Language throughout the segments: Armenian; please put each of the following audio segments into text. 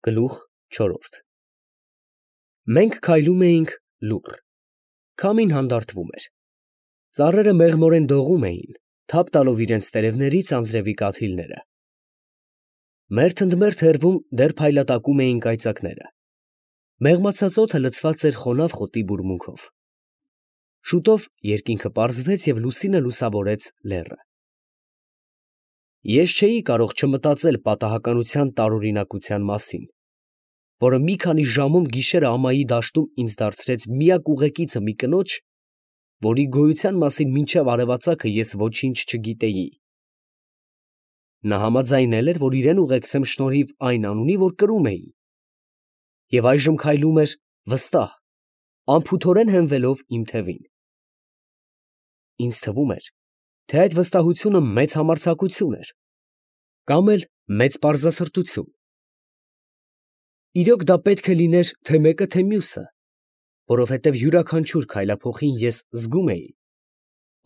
Գլուխ 4 Մենք քայլում էինք լուռ, քամին հանդարտվում էր, ծառերը մեղմորեն դողում էին, թափ տալով իրենց տերևներից անձրևի կաթիլները, մերթ ընդ մերթ հեռվում դեռ փայլատակում էին կայծակները, մեղմացած օդը լցված էր խոնավ խոտի բուրմունքով, շուտով երկինքը պարզվեց և լուսինը լուսավորեց լեռը։ Ես չէի կարող չմտածել պատահականության տարօրինակության մասին, որը մի քանի ժամում գիշերը ամայի դաշտում ինձ դարձրեց միակ ուղեկիցը մի կնոջ, որի գոյության մասին մինչև արևածագը ես ոչինչ չգիտեի։ Նա համաձայնել էր, որ իրեն ուղեկցեմ շնորհիվ այն անունի, որ կրում էի, և այժմ քայլում էր վստահ, անփութորեն հենվելով իմ թևին։ Ինձ թվում էր, թե այդ վստահությունը մեծ համարձակություն էր, կամ էլ մեծ պարզասրտություն։ Իրոք դա պետք է լիներ թե մեկը, թե մյուսը, որովհետև յուրաքանչյուր քայլափոխին ես զգում էի,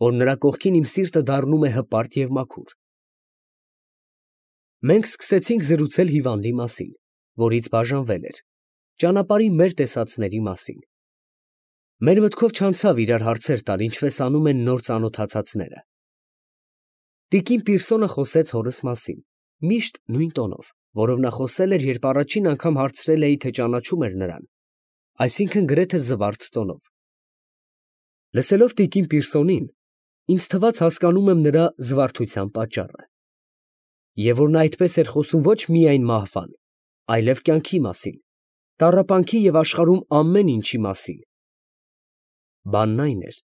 որ նրա կողքին իմ սիրտը դառնում է հպարտ և մաքուր։ Մենք սկսեցինք զրուցել հիվանդի մասին, որից բաժանվել էր, ճանապարհի մեր տեսածների մասին։ Մեր մտքով չանցավ իրար հարցեր տալ, ինչպես անում են նոր ծանոթացածները։ Տիկին Պիրսոնը խոսեց հորս մասին, միշտ նույն տոնով, որով նա խոսել էր, երբ առաջին անգամ հարցրել էի, թե ճանաչում էր նրան, այսինքն գրեթե զվարթ տոնով։ Լսելով տիկին Պիրսոնին, ինձ թվաց հասկանում եմ նրա զվարթության պատճառը, և որ նա այդպես էր խոսում ոչ միայն մահվան, այլև կյանքի մասին, տառապանքի և աշխարհում ամեն ինչի մասին։ Բանն այն էր,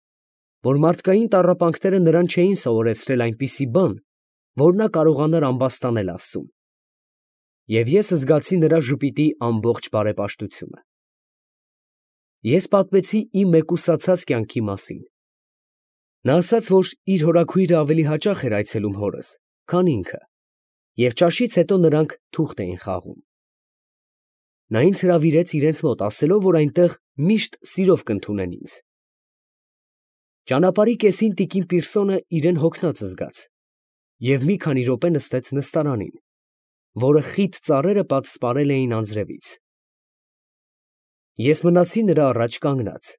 որ մարդկային տառապանքները նրան չէին սովորեցրել այնպիսի բան, որ նա կարողանար ամբաստանել Աստծուն, և ես զգացի նրա ժպիտի ամբողջ բարեպաշտությունը։ Ես պատմեցի իմ մեկուսացած կյանքի մասին։ Նա ասաց, որ իր հորաքույրը ավելի հաճախ էր այցելում հորս, քան ինքը, և ճաշից հետո նրանք թուղթ էին խաղում։ Նա ինձ հրավիրեց իրենց մոտ, ասելով, որ այնտեղ միշտ սիրով կընդունեն ինձ։ Ճանապարհի կեսին տիկին Պիրսոնը իրեն հոգնած զգաց և մի քանի րոպե նստեց նստարանին, որը խիտ ծառերը պատսպարել էին անձրևից։ Ես մնացի նրա առաջ կանգնած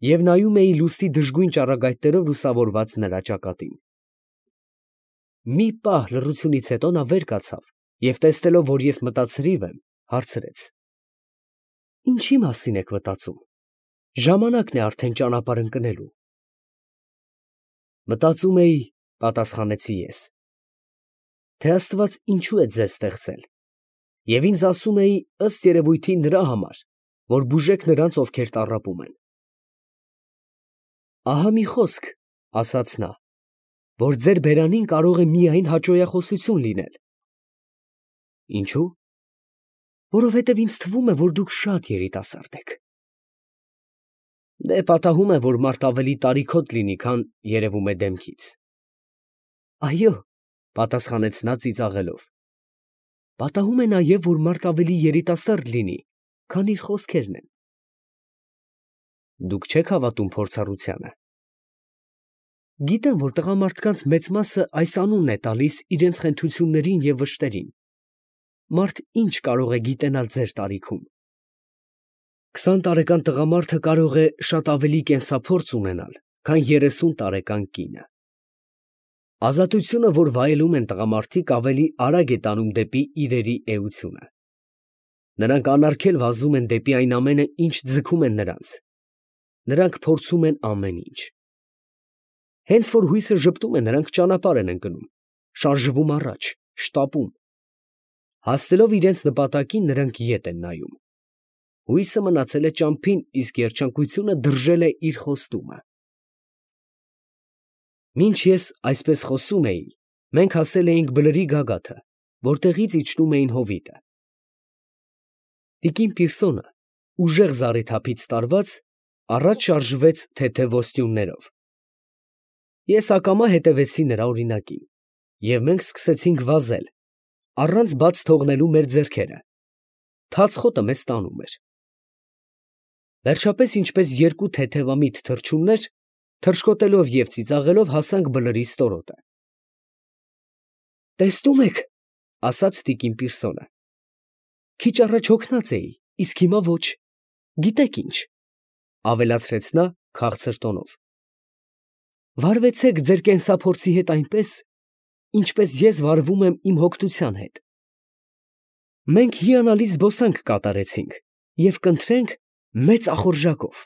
և նայում էի լուսնի դժգույն ճառագայթներով լուսավորված նրա ճակատին։ Մի պահ լռությունից հետո նա վեր կացավ և տեսնելով, որ ես մտածրիվ եմ, հարցրեց. «Ինչի մասին եք մտածում, ժամանակն է արդեն ճանապարհ ընկնելու»։ Մտածում էի, պատասխանեցի ես, թե Աստված ինչու է ձեզ ստեղծել, և ինձ ասում էի, ըստ երևույթին, նրա համար, որ բուժեք նրանց, ովքեր տառապում են։ Ահա մի խոսք, ասաց նա, որ ձեր բերանին կարող է միայն հաճոյախոսություն լինել։ Ինչո՞ւ։ Որովհետև ինձ թվում է, որ դուք շատ երիտասարդ եք։ Դե պատահում է, որ մարդ ավելի տարիքոտ լինի, քան երևում է դեմքից։ Այո, պատասխանեց նա ծիծաղելով, պատահում է նաև, որ մարդ ավելի երիտասարդ լինի, քան իր խոսքերն են։ Դուք չեք հավատում փորձառությանը։ Գիտեմ, որ տղամարդկանց մեծ մասը այս անունն է տալիս իրենց խենթություններին և վշտերին։ Մարդ ինչ կարող է գիտենալ ձեր տարիքում։ 20 տարեկան տղամարդը կարող է շատ ավելի կենսափորձ ունենալ, քան 30 տարեկան կինը։ Ազատությունը, որ վայելում են տղամարդիկ, ավելի արագ է տանում դեպի իրերի էությունը։ Նրանք անարգել վազում են դեպի այն ամենը, ինչ ձգում են նրանց։ Նրանք փորձում են ամեն ինչ։ Հենց որ հույսը ժպտում է, նրանք ճանապարհ են ընկնում, շարժվում առաջ, շտապում։ Հասնելով իրենց նպատակին, նրանք ետ են նայում։ Հույսը մնացել է ճամփին, իսկ երջանկությունը դրժել է իր խոստումը։ Մինչ ես այսպես խոսում էի, մենք հասել էինք Բլրի գագաթը, որտեղից իջնում էին հովիտը։ Տիկին Պիրսոնը, ուժեղ զառիթափից տարված, առաջ շարժվեց թեթև ոստյուններով։ Ես ակամա հետևեցի նրա օրինակին, և մենք սկսեցինք վազել, առանց բաց թողնելու մեր ձեռքերը։ Թաց խոտը մեզ տանում էր։ Վերջապես, ինչպես երկու թեթևամիտ թռչուններ, թռչկոտելով և ծիծաղելով հասանք Բլրի ստորոտը։ Տեսնում եք, ասաց տիկին Պիրսոնը, Քիչ առաջ հոգնած էի, իսկ հիմա ոչ, գիտեք ինչ, ավելացրեց նա քաղցր տոնով. վարվեցեք ձեր կենսափորձի հետ այնպես, ինչպես ես վարվում եմ իմ հոգնության հետ. մենք հիանալի զբոսանք կատարեցինք և կընթրենք մեծ ախորժակով։